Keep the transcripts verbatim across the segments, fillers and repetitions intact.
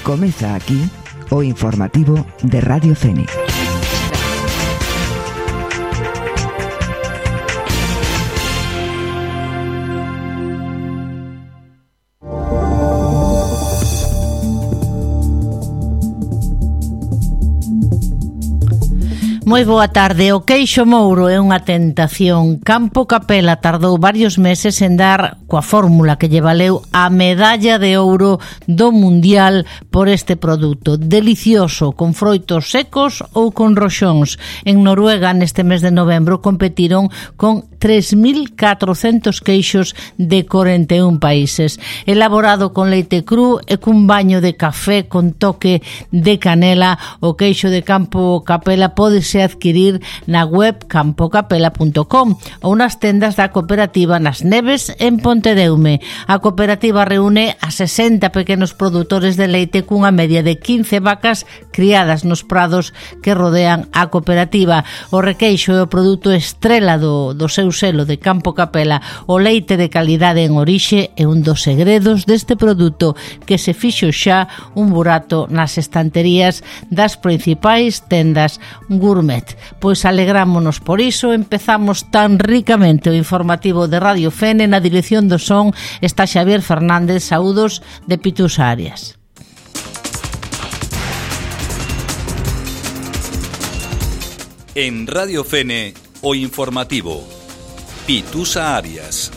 Comeza aquí o informativo de Radio Fene. Moi boa tarde. O queixo mouro é unha tentación. Campo Capela tardou varios meses en dar coa fórmula que lle valeu a medalla de ouro do Mundial por este produto. Delicioso, con froitos secos ou con roxóns. En Noruega, neste mes de novembro, competiron con tres mil catrocentos queixos de corenta e un países. Elaborado con leite cru e cun baño de café con toque de canela, o queixo de Campo Capela pode ser adquirir na web campo capela punto com ou nas tendas da cooperativa Nas Neves en Pontedeume. A cooperativa reúne a sesenta pequenos produtores de leite cunha media de quince vacas criadas nos prados que rodean a cooperativa. O requeixo é o produto estrela do, do seu selo de Campo Capela. O leite de calidade en orixe é un dos segredos deste produto que se fixo xa un burato nas estanterías das principais tendas gourmet. Pois alegrámonos por iso. Empezamos tan ricamente o informativo de Radio Fene. Na dirección do son está Xavier Fernández. Saúdos de Pitusa Arias. En Radio Fene, o informativo Pitusa Arias.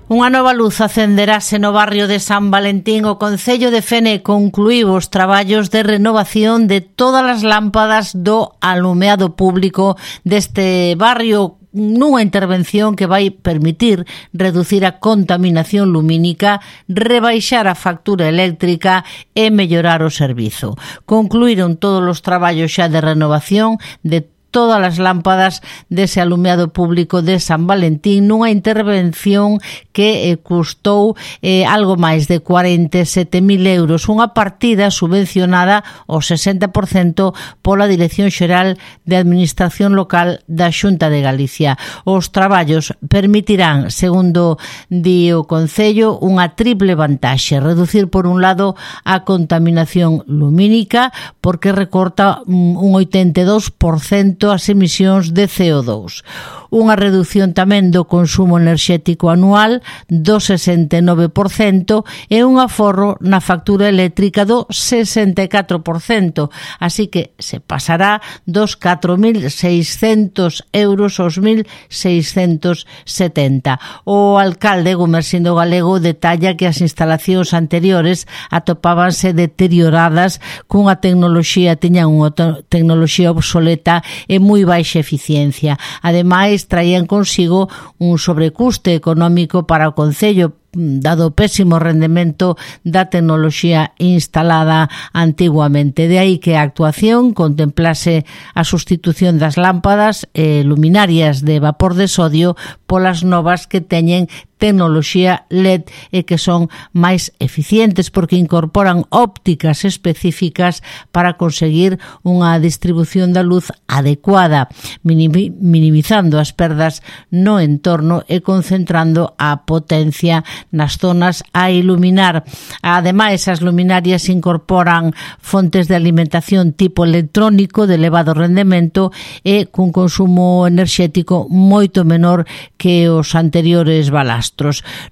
Unha nova luz acenderase no barrio de San Valentín. O Concello de Fene concluíu os traballos de renovación de todas as lámpadas do alumeado público deste barrio, nunha intervención que vai permitir reducir a contaminación lumínica, rebaixar a factura eléctrica e mellorar o servizo. Concluíron todos os traballos xa de renovación de todas as lámpadas dese alumeado público de San Valentín nunha intervención que eh, custou eh, algo máis de cuarenta e sete mil euros, unha partida subvencionada ao sesenta por cento pola Dirección Xeral de Administración Local da Xunta de Galicia. Os traballos permitirán, segundo di o Concello, unha triple vantaxe: reducir por un lado a contaminación lumínica, porque recorta un oitenta e dous por cento as emisións de C O dous. Unha reducción tamén do consumo enerxético anual do sesenta e nove por cento e un aforro na factura eléctrica do sesenta e catro por cento. Así que se pasará dos catro mil seiscentos euros aos mil seiscentos setenta. O alcalde Gumersindo Galego detalla que as instalacións anteriores atopábanse deterioradas cunha tecnoloxía, tiñan unha tecnoloxía obsoleta e moi baixa eficiencia. Ademais, traían consigo un sobrecuste económico para o Concello, dado o pésimo rendemento da tecnoloxía instalada antiguamente. De aí que a actuación contemplase a sustitución das lámpadas e luminarias de vapor de sodio polas novas que teñen tecnoloxía L E D e que son máis eficientes porque incorporan ópticas específicas para conseguir unha distribución da luz adecuada, minimizando as perdas no entorno e concentrando a potencia nas zonas a iluminar. Ademais, as luminarias incorporan fontes de alimentación tipo electrónico de elevado rendemento e cun consumo enerxético moito menor que os anteriores balastros.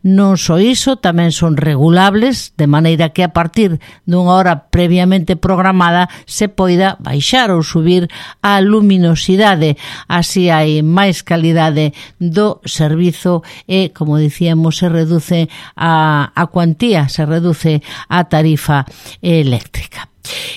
Non só iso, tamén son regulables, de maneira que a partir dunha hora previamente programada se poida baixar ou subir a luminosidade. Así hai máis calidade do servizo e, como dicíamos, se reduce a, a cuantía, se reduce a tarifa eléctrica.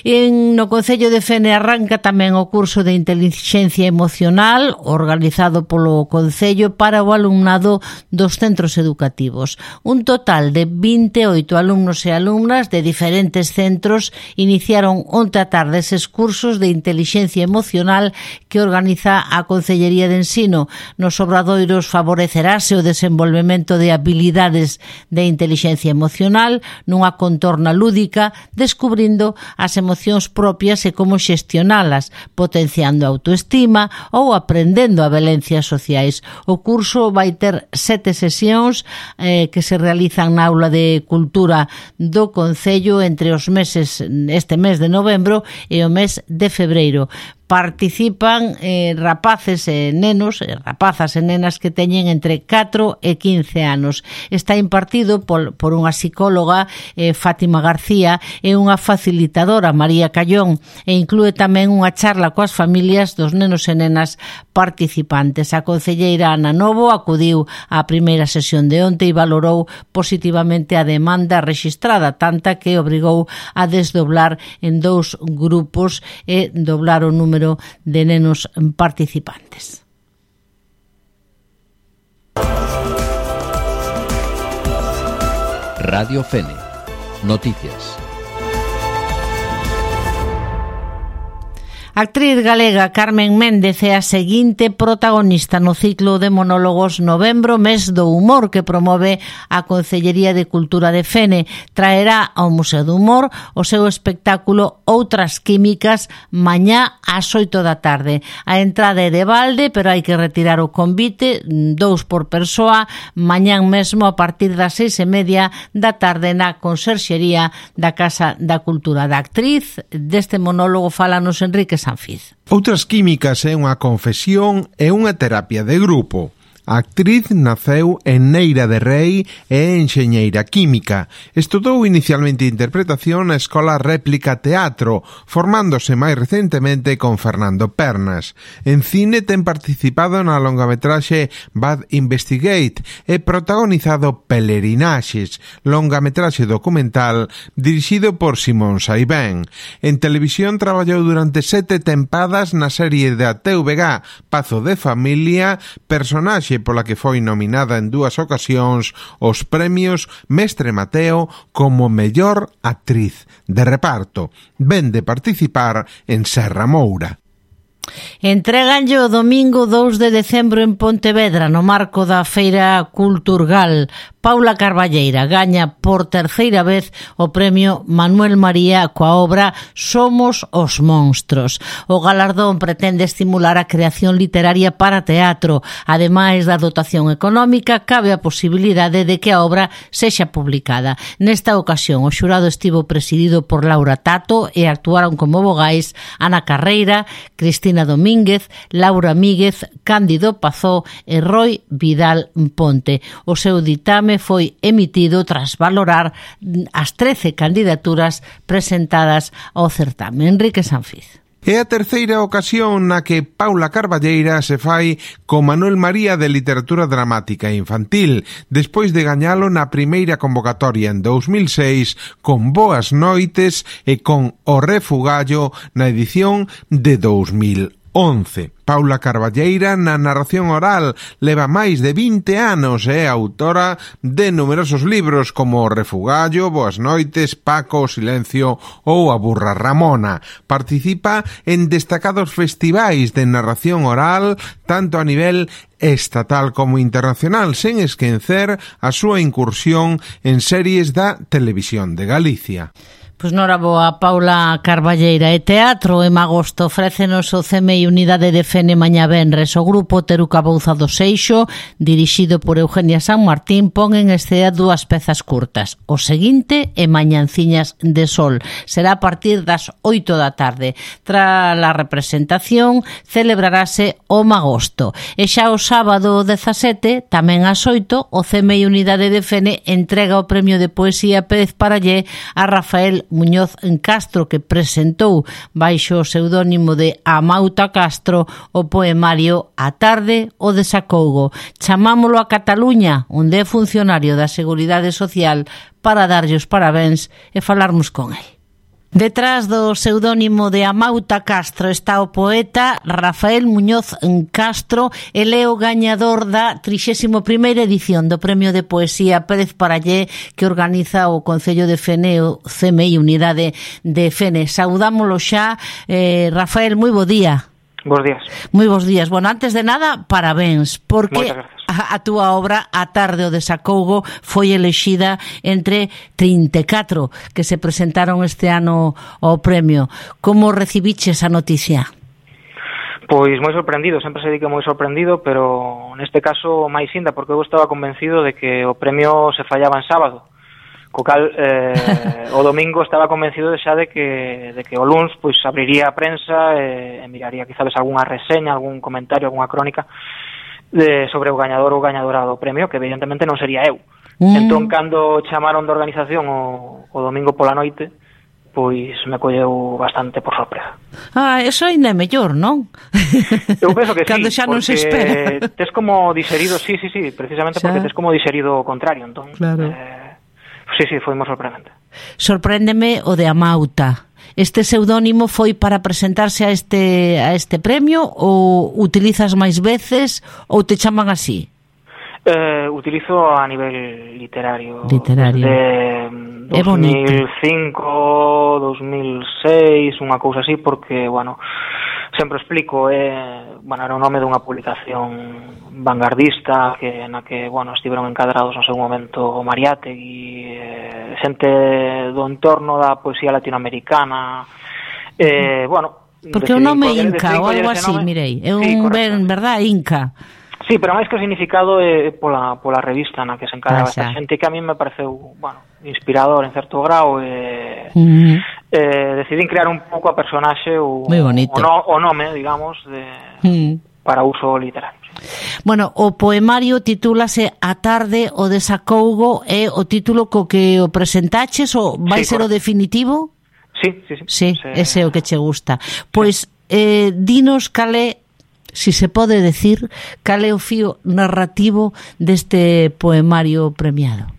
En no Concello de Fene arranca tamén o curso de Intelixencia Emocional organizado polo Concello para o alumnado dos centros educativos. Un total de vinte e oito alumnos e alumnas de diferentes centros iniciaron onte a tarde eses cursos de Intelixencia Emocional que organiza a Concellería de Ensino. Nos obradoiros favorecerase o desenvolvemento de habilidades de intelixencia emocional nunha contorna lúdica, descubrindo as emocións propias e como xestionalas, potenciando a autoestima ou aprendendo a valencias sociais. O curso vai ter sete sesións eh, que se realizan na aula de cultura do Concello entre os meses, este mes de novembro e o mes de febreiro. Participan eh, rapaces e nenos, eh, rapazas e nenas que teñen entre catro e quince anos. Está impartido por, por unha psicóloga, eh, Fátima García, e unha facilitadora, María Callón, e inclúe tamén unha charla coas familias dos nenos e nenas participantes. A concelleira Ana Novo acudiu á primeira sesión de onte e valorou positivamente a demanda rexistrada, tanta que obrigou a desdoblar en dous grupos e doblar o número de nenos participantes. Radio Fene. Noticias. A actriz galega Carmen Méndez é a seguinte protagonista no ciclo de monólogos Novembro, mes do humor, que promove a Concellería de Cultura de Fene. Traerá ao Museo do Humor o seu espectáculo Outras Químicas mañá ás oito da tarde. A entrada é de balde, pero hai que retirar o convite, dous por persoa, mañán mesmo a partir das seis e media da tarde na Conserxería da Casa da Cultura. Da actriz deste monólogo fálanos Enrique Sanfiz. Outras Químicas é unha confesión e unha terapia de grupo. A actriz naceu en Neira de Rei e é enxeñeira química. Estudou inicialmente interpretación na Escola Réplica Teatro, formándose máis recentemente con Fernando Pernas. En cine ten participado na longametraxe Bad Investigate e protagonizado Pelerinaxes, longametraxe documental dirixido por Simón Saibén. En televisión traballou durante sete tempadas na serie da T V G Pazo de Familia, personaxe pola que foi nominada en dúas ocasións os premios Mestre Mateo como mellor actriz de reparto. Ven de participar en Serra Moura. Entréganlle o domingo dous de decembro en Pontevedra no marco da Feira Culturgal. Paula Carballeira gaña por terceira vez o premio Manuel María coa obra Somos os monstros. O galardón pretende estimular a creación literaria para teatro. Ademais da dotación económica, cabe a posibilidade de que a obra sexa publicada. Nesta ocasión, o xurado estivo presidido por Laura Tato e actuaron como vogais Ana Carreira, Cristina Domínguez, Laura Míguez, Cándido Pazó e Roy Vidal Ponte. O seu ditame foi emitido tras valorar as trece candidaturas presentadas ao certame. Enrique Sanfiz. É a terceira ocasión na que Paula Carballeira se fai co Manuel María de Literatura Dramática Infantil, despois de gañalo na primeira convocatoria en dous mil seis con Boas Noites e con O Refugallo na edición de dous mil once. Paula Carballeira, na narración oral, leva máis de vinte anos e é autora de numerosos libros como O Refugallo, Boas Noites, Paco, O Silencio ou A Burra Ramona. Participa en destacados festivais de narración oral, tanto a nivel estatal como internacional, sen esquecer a súa incursión en series da Televisión de Galicia. Pois nora boa, Paula Carballeira. E teatro, en agosto, ofrécenos o C M I Unidade de Fene mañá venres. O grupo Teruca Bouza do Seixo, dirixido por Eugenia San Martín, pon en escena dúas pezas curtas. O seguinte e Mañanciñas de Sol. Será a partir das oito da tarde. Tras a representación, celebrarase o magosto. E xa o sábado dezasete, tamén ás oito, o C M I Unidade de Fene entrega o premio de poesía Pérez Parallé a Rafael Muñoz Castro, que presentou baixo o pseudónimo de Amauta Castro o poemario A tarde o desacougo. Chamámolo a Cataluña, onde é funcionario da Seguridade Social, para darlle os parabéns e falarmos con el. Detrás do pseudónimo de Amauta Castro está o poeta Rafael Muñoz Castro. Ele é o gañador da trixésima primeira edición do Premio de Poesía Pérez Parallé que organiza o Concello de Fene, o C M I Unidade de Fene. Saudámolo xa. eh, Rafael, moi bo día. Bos días. Moi bons días. Bueno, antes de nada, parabéns, porque a túa obra A tarde o desacougo foi elexida entre trinta e catro que se presentaron este ano ao premio. Como recibiches a noticia? Pois moi sorprendido, sempre se di que moi sorprendido, pero neste caso máis inda, porque eu estaba convencido de que o premio se fallaba en sábado, co cal eh, o domingo estaba convencido de xa de que, de que o luns pois abriría a prensa e, e miraría quizás algunha reseña, algún comentario, algunha crónica de, sobre o gañador ou gañadora do premio, que evidentemente non sería eu. Mm. Entón, cando chamaron da organización o, o domingo pola noite, pois me colleu bastante por sorpresa. Ah, eso ainda é mellor, non? Eu penso que sí, cando xa non se espera. Tes como diserido, sí, sí, sí, precisamente xa. Porque tes como diserido o contrario, entón. Claro. Eh, sí, sí, foi moi sorprendente. Sorpréndeme o de Amauta. Este pseudónimo foi para presentarse a este a este premio ou utilizas máis veces ou te chaman así? Eh, utilizo a nivel literario. Literario. Desde dos mil cinco, dos mil seis, unha cousa así, porque, bueno, sempre explico, eh, bueno, era o nome dunha publicación vanguardista que na que, bueno, estiveron encadrados no seu momento Mariátegui, eh, xente do entorno da poesía latinoamericana, eh, bueno... Porque o nome Inca ou algo así, mirei, é un sí, ben, verdad, Inca. Sí, pero máis que o significado é pola, pola revista na que se encaraba ah, esta xente, que a mí me pareceu, bueno, inspirador en certo grau, e uh-huh. eh, decidín crear un pouco a personaxe o, o, no, o nome, digamos, de, uh-huh. para uso literario. Bueno, o poemario titúlase A tarde o desacougo, é o título co que o presentaches ou vai sí, ser correcto. O definitivo? Sí, sí, sí. Sí, se... ese é o que che gusta. Pois, eh, dinos calé, si se pode decir, cal é o fío narrativo deste poemario premiado?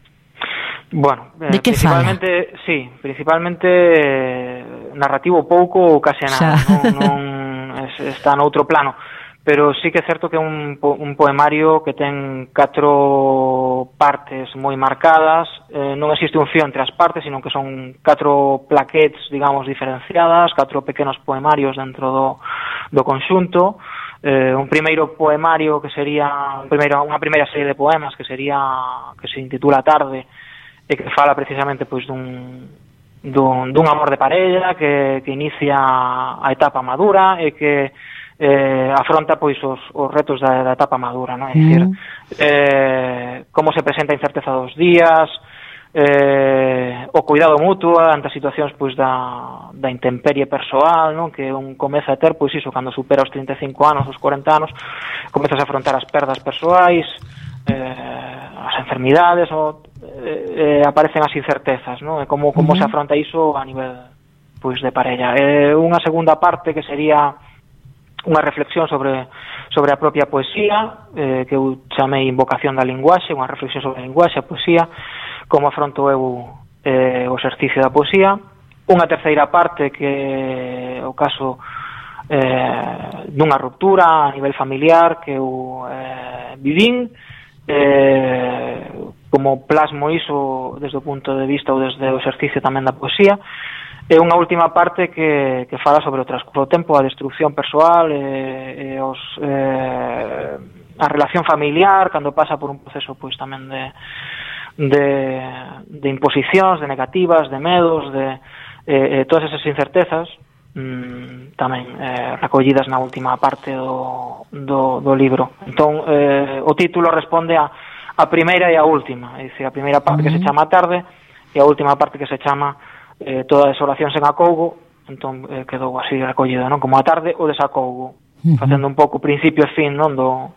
Bueno, de que principalmente, fala? Sí, principalmente eh, narrativo pouco ou case nada, non, non es, está no outro plano, pero sí que é certo que é un, un poemario que ten catro partes moi marcadas, eh, non existe un fío entre as partes, sino que son catro plaquetes, digamos, diferenciadas, catro pequenos poemarios dentro do, do conxunto. Eh, un primeiro poemario que sería un primeiro, unha primeira serie de poemas que sería que se intitula Tarde e que fala precisamente pois dun, dun, dun amor de parella que, que inicia a etapa madura e que eh, afronta pois os, os retos da, da etapa madura, non? É dicir, mm. eh, como se presenta a incerteza dos días, eh, o cuidado mutuo ante as situacións pois da, da intemperie persoal, non? Que un comeza a ter pois iso cando supera os trinta e cinco anos, os cuarenta anos, comezas a afrontar as perdas persoais, eh, as enfermidades, o, eh, eh, aparecen as incertezas, non? E como, como uh-huh. se afronta iso a nivel pois de parella. Eh, unha segunda parte que sería unha reflexión sobre sobre a propia poesía, eh, que eu chamei Invocación da linguaxe, unha reflexión sobre a linguaxe, a poesía, como afronto eu eh, o exercicio da poesía. Unha terceira parte que o caso eh, dunha ruptura a nivel familiar que eu eh, vivín, eh, como plasmo iso desde o punto de vista ou desde o exercicio tamén da poesía. E unha última parte que, que fala sobre o transcurso do tempo, a destrucción persoal, e, e os, eh, a relación familiar, cando pasa por un proceso pois tamén de De, de imposicións, de negativas, de medos, de eh, todas esas incertezas, mmm, tamén eh, recollidas na última parte do, do, do libro. Entón, eh, o título responde a, a primeira e a última, é dicir, a primeira parte uh-huh. que se chama Tarde e a última parte que se chama eh, Todas as oracións en acougo. Entón eh, quedou así recollido, non? Como a tarde o desacougo, uh-huh. facendo un pouco principio e fin, non, do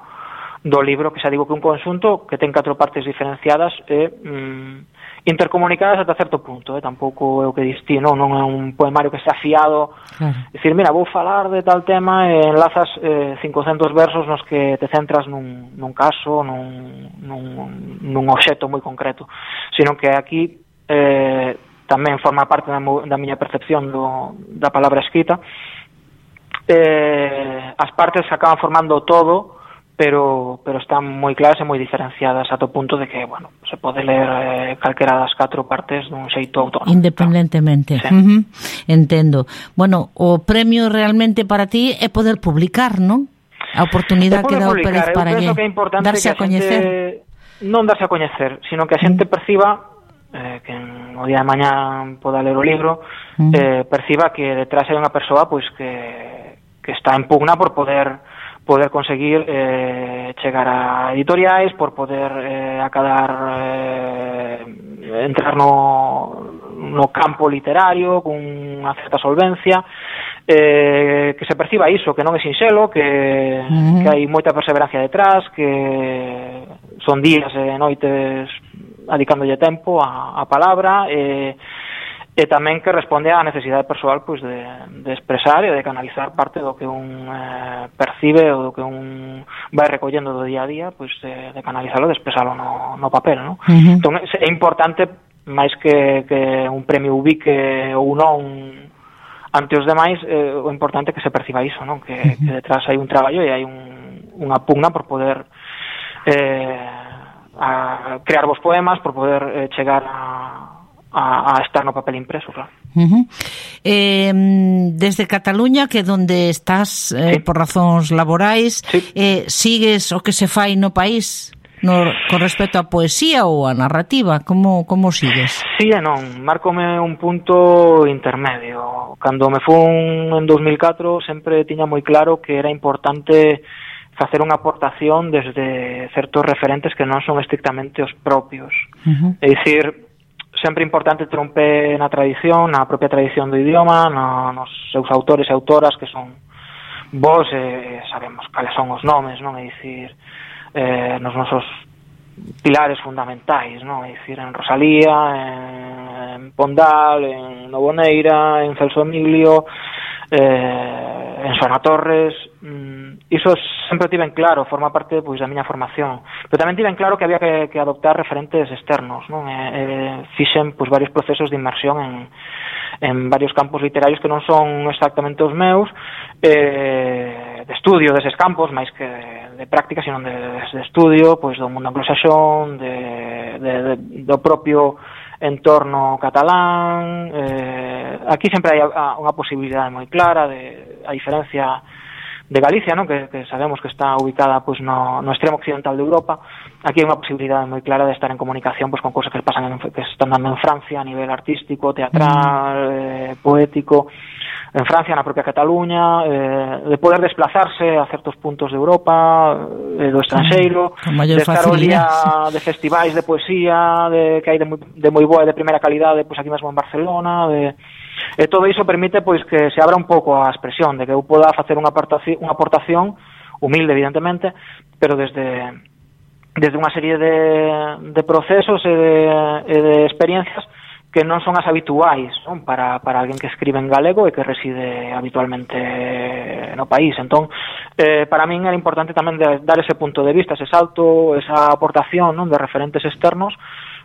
do libro, que xa digo que un conxunto que ten catro partes diferenciadas e mm, intercomunicadas ata certo punto, eh? Tampouco é o que distí, non, non é un poemario que está afiado, claro. Dicir, mira, vou falar de tal tema e enlazas eh, cincocentos versos nos que te centras nun, nun caso, nun, nun, nun obxecto moi concreto, sino que aquí eh, tamén forma parte da, da miña percepción do, da palabra escrita. Eh, as partes acaban formando todo, pero pero están moi claras e moi diferenciadas ata o punto de que, bueno, se pode ler eh, calquera das catro partes dun xeito autónomo. Independentemente. Sí. Uh-huh. Entendo. Bueno, o premio realmente para ti é poder publicar, non? A oportunidade que dá o Pérez Parallé, darse a coñecer. Non darse a coñecer, sino que a xente perciba, eh, que no día de mañá poda ler o libro, mm. eh, perciba que detrás hai unha persoa pois que, que está en pugna por poder poder conseguir eh, chegar a editoriais, por poder eh, acadar eh, entrar no, no campo literario con unha certa solvencia, eh, que se perciba iso, que non é sinxelo, que, uh-huh. que hai moita perseverancia detrás, que son días e noites adicándolle tempo a, a palabra, e eh, e tamén que responde á necesidade persoal pois de, de expresar e de canalizar parte do que un eh, percibe ou do que un vai recollendo do día a día, pois de, de canalizarlo, de expresarlo no, no papel, ¿no? Uh-huh. Entón é importante, máis que, que un premio ubique ou non ante os demais, eh, o importante é que se perciba iso, ¿no? Que, uh-huh. que detrás hai un traballo e hai un, unha pugna por poder eh, a crear vos poemas, por poder eh, chegar a A, a estar no papel impreso, claro. Uh-huh. Eh, desde Cataluña, que donde estás eh, sí. por razóns laborais, sí. eh, sigues o que se fai no país no, con respecto a poesía ou a narrativa? Como, como sigues? Sí e non, márcome un punto intermedio. Cando me fun en dos mil catro sempre tiña moi claro que era importante facer unha aportación desde certos referentes que non son estrictamente os propios. Uh-huh. É dicir, sempre importante ter un pé na tradición, na propia tradición do idioma, no, nos seus autores e autoras que son vos, e eh, sabemos cales son os nomes, non? É dicir, eh, nos nosos pilares fundamentais, non? É dicir, en Rosalía, en Pondal, en Novoneira, en Celso Emilio, eh, en Xoana Torres. mm, iso sempre tiven claro, forma parte pois da miña formación, pero tamén tiven claro que había que, que adoptar referentes externos, non? E, eh, fixen pois varios procesos de inmersión en, en varios campos literarios que non son exactamente os meus, eh, de estudio deses campos, máis que de, de práctica, sino de, de estudio pois do mundo anglosaxón, de, de, de, do propio entorno catalán. Eh, aquí sempre hai unha posibilidade moi clara de a diferencia de Galicia, ¿no? que, que sabemos que está ubicada pues, no, no extremo occidental de Europa. Aquí hai unha posibilidade moi clara de estar en comunicación pues, con cosas que pasan en, que están dando en Francia a nivel artístico, teatral, eh, poético, en Francia, na propia Cataluña, eh, de poder desplazarse a certos puntos de Europa, eh, do estranxeiro, de estar o día de festivais de poesía de, que hai de moi, de moi boa e de primeira calidade pues, aquí mesmo en Barcelona, de e todo iso permite pois que se abra un pouco a expresión, de que eu poda facer unha aportación, unha aportación humilde, evidentemente, pero desde desde unha serie de, de procesos e de, e de experiencias que non son as habituais, non? Para, para alguén que escribe en galego e que reside habitualmente no país. Entón, eh, para min era importante tamén de dar ese punto de vista, ese salto, esa aportación, non? De referentes externos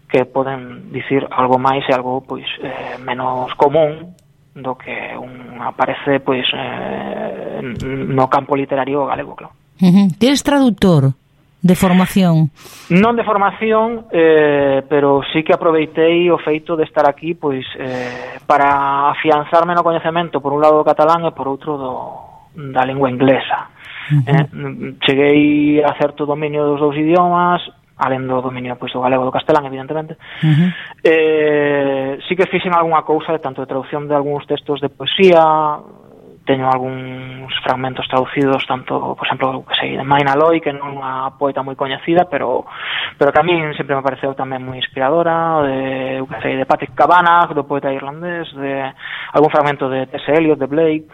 que poden dicir algo máis e algo pois eh, menos común do que un aparece pois eh, no campo literario galego, claro. Uh-huh. Ti eres traductor de formación? Non de formación, eh, pero sí que aproveitei o feito de estar aquí pois eh, para afianzarme no coñecemento por un lado do catalán e por outro do, da lingua inglesa. Uh-huh. eh, cheguei a certo dominio dos dous idiomas, alén do dominio pois, do galego e do castelán, evidentemente. Uh-huh. eh, sí que fixen algunha cousa de tanto de traducción de algúns textos de poesía. Teño algúns fragmentos traducidos, tanto, por exemplo, que sei, de Maina Loy, que non é unha poeta moi coñecida, pero pero que a min sempre me pareceu tamén moi inspiradora, de, que sei, de Patrick Kavanagh, do poeta irlandés, de algún fragmento de T S Eliot, de Blake.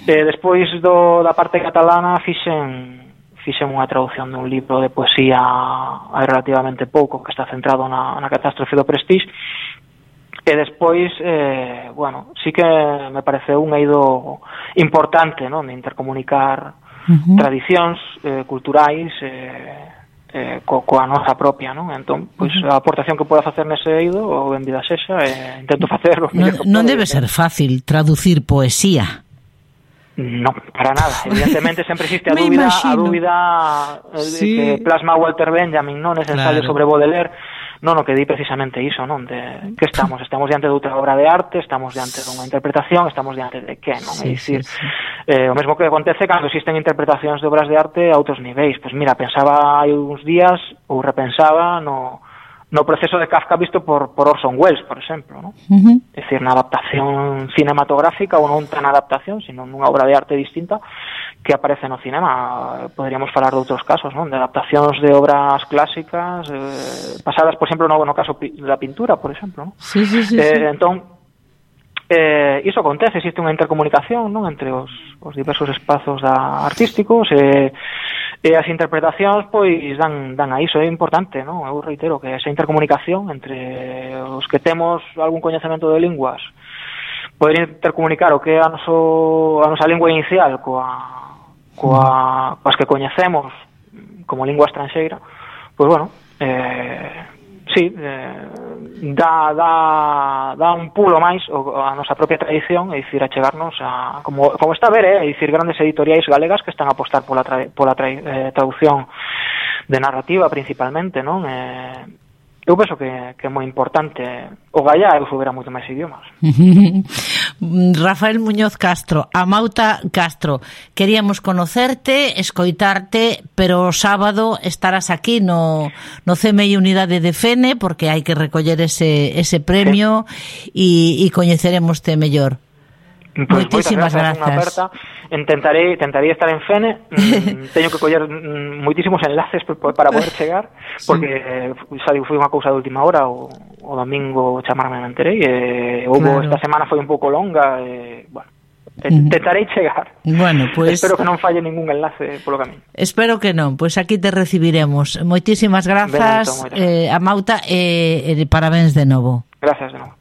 Eh, despois do, da parte catalana fixen fixen unha traducción dun libro de poesía hai relativamente pouco, que está centrado na, na catástrofe do Prestige. E despois, eh, bueno, sí que me pareceu un eido importante, non? De intercomunicar uh-huh. tradicións eh, culturais eh, eh, co, coa nosa propia, non? Entón, pois, uh-huh. a aportación que poda facer nese eido, ou en vida sexa, eh, intento facerlo. Non, non debe ser fácil traducir poesía. No, para nada. Evidentemente sempre existe a dúbida, a dúbida eh, sí. que plasma Walter Benjamin, non? Ese ensayo claro. sobre Baudelaire, non o que di precisamente iso, non? De que estamos, estamos diante de outra obra de arte, estamos diante dunha interpretación, estamos diante de que, non? Sí, é dicir, sí, sí. Eh, o mesmo que acontece cando existen interpretacións de obras de arte a outros niveis. Pois mira, pensaba hai uns días, ou repensaba no no proceso de Kafka visto por, por Orson Welles, por exemplo, ¿no? Uh-huh. É dicir, na adaptación cinematográfica ou non tan adaptación, sino nunha obra de arte distinta que aparece no cinema. Poderíamos falar de outros casos, non? De adaptacións de obras clásicas eh, pasadas, por exemplo, no, no caso da pintura, por exemplo, ¿no? Sí, sí, sí, eh, sí. Entón, eh, iso acontece, existe unha intercomunicación, non? Entre os, os diversos espazos da artísticos e E as interpretacións, pois, dan, dan a iso, é importante, non? Eu reitero que esa intercomunicación entre os que temos algún coñecemento de linguas, poder intercomunicar o que é a, noso, a nosa lingua inicial coa, coa, coas que coñecemos como lingua estranxeira, pois, bueno, eh, sí, eh, dá, dá, dá un pulo máis a nosa propia tradición, é dicir, a chegarnos a, como, como está a ver, eh, é dicir, grandes editoriais galegas que están a apostar pola, tra, pola tra, eh, traducción de narrativa principalmente, non? Eh, eu penso que, que é moi importante o gallá e souber moito máis idiomas. Rafael Muñoz Castro, Amauta Castro, queríamos conocerte, escoitarte, pero o sábado estarás aquí no, no C M I Unidade de Fene, porque hai que recoller ese, ese premio e, e coñeceremoste mellor. Pues moitísimas grazas. Intentarei, intentarei estar en Fene. Teño que coller moitísimos enlaces para poder chegar, porque sí. Foi unha cousa de última hora, o, o domingo chamarme me enterei, e houve, claro. Esta semana foi un pouco longa, e, bueno, intentarei chegar. Bueno, pues, espero que non falle ningún enlace polo camiño. Espero que non, pois pues aquí te recibiremos. Moitísimas grazas, Benito, eh, Amauta, e eh, eh, parabéns de novo. Gracias de novo.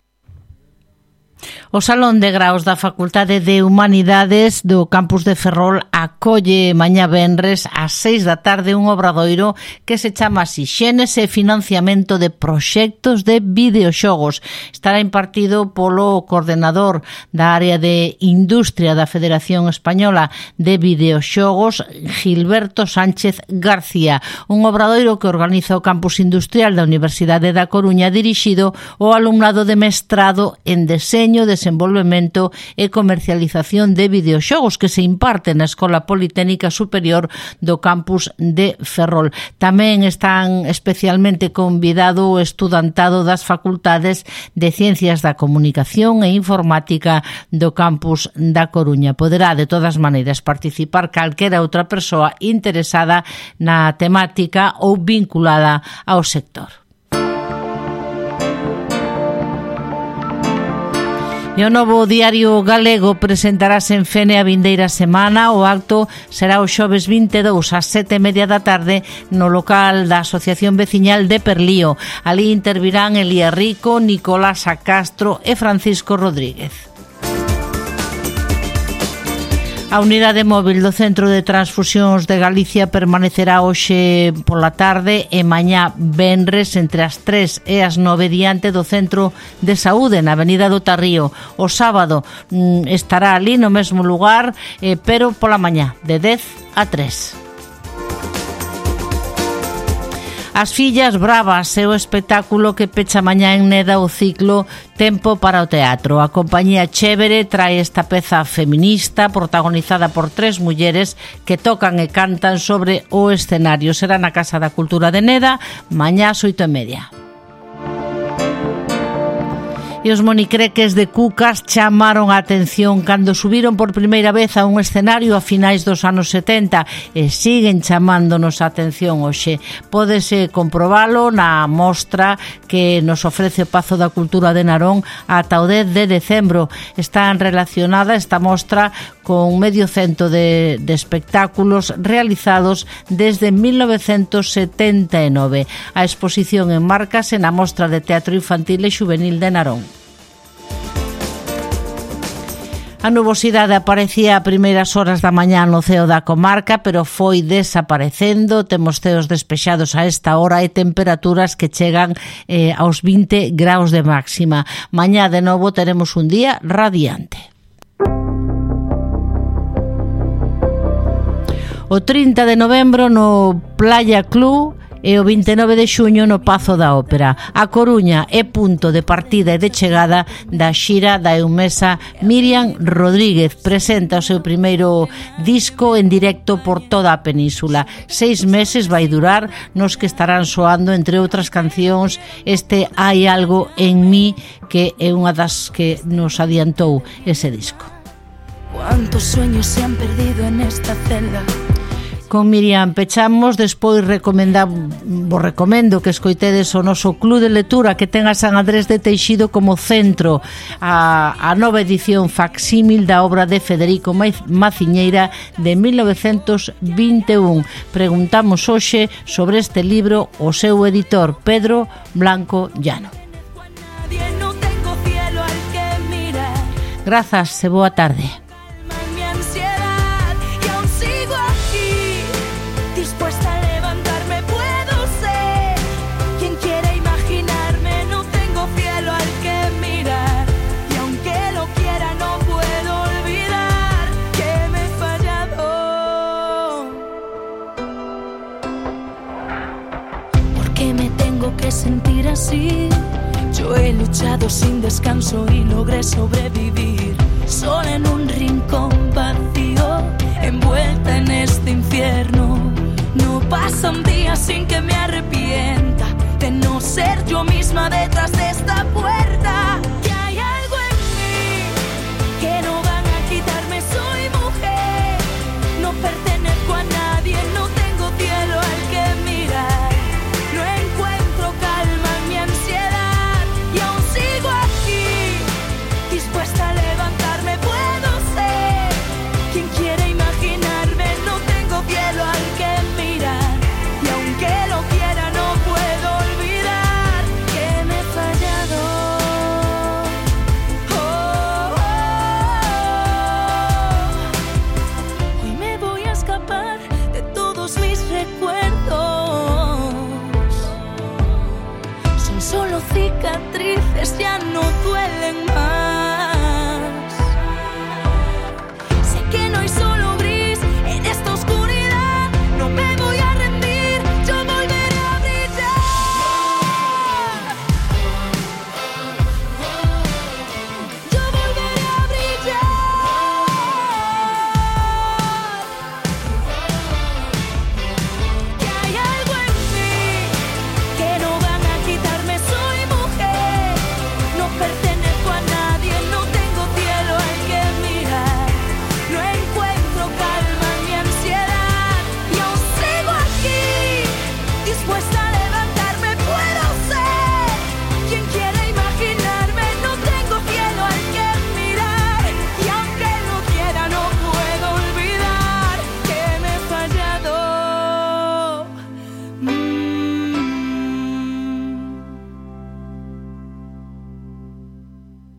O Salón de Graos da Facultade de Humanidades do Campus de Ferrol acolle mañá venres ás seis da tarde un obradoiro que se chama así Xénese e financiamento de proxectos de videoxogos. Estará impartido polo coordenador da área de Industria da Federación Española de Videoxogos, Gilberto Sánchez García. Un obradoiro que organiza o Campus Industrial da Universidade da Coruña dirixido ao alumnado de mestrado en Deseño, Desenvolvemento e Comercialización de Videoxogos que se imparte na Escola Politécnica Superior do Campus de Ferrol. Tamén están especialmente convidado o estudantado das facultades de Ciencias da Comunicación e Informática do Campus da Coruña. Poderá, de todas maneiras, participar calquera outra persoa interesada na temática ou vinculada ao sector. E o novo diario galego presentarase en Fene a vindeira semana. O acto será o xoves vinte e dous ás sete e media da tarde no local da Asociación Veciñal de Perlío. Ali intervirán Elías Rico, Nicolás Castro e Francisco Rodríguez. A unidade móvil do Centro de Transfusións de Galicia permanecerá hoxe pola tarde e mañá venres entre as tres e as nove diante do Centro de Saúde na Avenida do Tarrío. O sábado mm, estará ali no mesmo lugar, eh, pero pola mañá de dez a tres. As Fillas Bravas é o espectáculo que pecha mañá en Neda o ciclo Tempo para o Teatro. A compañía Chévere trae esta peza feminista protagonizada por tres mulleres que tocan e cantan sobre o escenario. Será na Casa da Cultura de Neda mañá ás oito e media. E os monicreques de Cucas chamaron a atención cando subiron por primeira vez a un escenario a finais dos anos setenta e siguen chamándonos a atención hoxe. Pódese comprobalo na mostra que nos ofrece o Pazo da Cultura de Narón ata o dez de decembro. Está relacionada esta mostra con medio cento de, de espectáculos realizados desde mil novecentos setenta e nove. A exposición enmárcase na Mostra de Teatro Infantil e Xuvenil de Narón. A nubosidade aparecía a primeiras horas da mañá no ceo da comarca, pero foi desaparecendo. Temos ceos despexados a esta hora e temperaturas que chegan eh, aos vinte graus de máxima. Mañá de novo teremos un día radiante. O trinta de novembro no Playa Club e o vinte e nove de xuño no Pazo da Ópera. A Coruña é punto de partida e de chegada da xira da eumesa Miriam Rodríguez. Presenta o seu primeiro disco en directo por toda a península. Seis meses vai durar, nos que estarán soando, entre outras cancións, este Hai algo en mí, que é unha das que nos adiantou ese disco. Cuántos sueños se han perdido en esta celda. Con Miriam pechamos, despois recomenda, vos recomendo que escoitedes o noso Club de Lectura que ten a San Andrés de Teixido como centro, a, a nova edición facsímil da obra de Federico Maciñeira de mil novecentos vinte e un. Preguntamos hoxe sobre este libro o seu editor, Pedro Blanco Llano. Grazas e boa tarde. Sentir así, yo he luchado sin descanso y logré sobrevivir sola en un rincón vacío, envuelta en este infierno. No pasa un día sin que me arrepienta de no ser yo misma detrás de esta puerta. Que hay algo en mí que no van a quitarme, soy mujer, no pertenezco a nadie, no tengo cielo al que mirar. Dispuesta a levantarme, puedo ser quien quiere imaginarme. No tengo cielo al que mirar y aunque lo quiera no puedo olvidar que me he fallado. Oh, oh, oh. Hoy me voy a escapar de todos mis recuerdos. Son solo cicatrices, ya no duelen más.